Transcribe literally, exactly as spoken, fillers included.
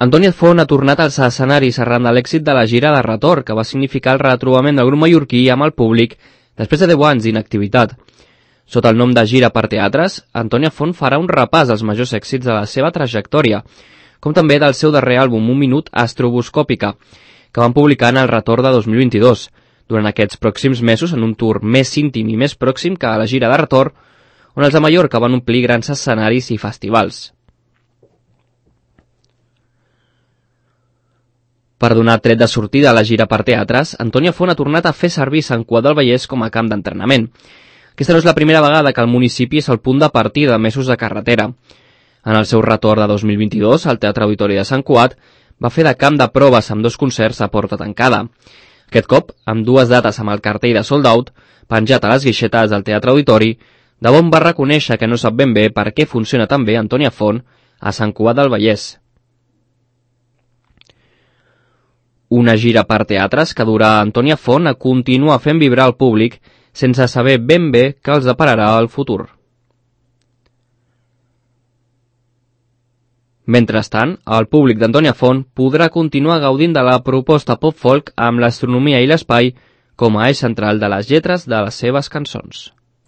Antònia Font ha tornat als escenaris arran de l'èxit de la gira de retorn, que va significar el retrobament del grup mallorquí amb el públic després de deu anys d'inactivitat. Sota el nom de Gira per Teatres, Antònia Font farà un repàs als majors èxits de la seva trajectòria, com també del seu darrer àlbum Un minut estroboscòpica, que van publicar en el retorn de dos mil vint-i-dos, durant aquests pròxims mesos en un tour més íntim i més pròxim que a la gira de retorn, on els de Mallorca van omplir grans escenaris i festivals. Per donar tret de sortida a la gira per teatres, Antònia Font ha tornat a fer servir Sant Cugat del Vallès com a camp d'entrenament. Aquesta no és la primera vegada que el municipi és el punt de partida de mesos de carretera. En el seu retorn de dos mil vint-i-dos, el Teatre Auditori de Sant Cugat va fer de camp de proves amb dos concerts a porta tancada. Aquest cop, amb dues dates amb el cartell de sold out, penjat a les guixetes del Teatre Auditori, de bon va reconèixer que no sap ben bé per què funciona tan bé Antònia Font a Sant Cugat del Vallès. Una gira per teatres que durà Antònia Font a continuar fent vibrar el públic sense saber ben bé què els depararà el futur. Mentrestant, el públic d'Antònia Font podrà continuar gaudint de la proposta pop-folk amb l'astronomia i l'espai com a eix central de les lletres de les seves cançons.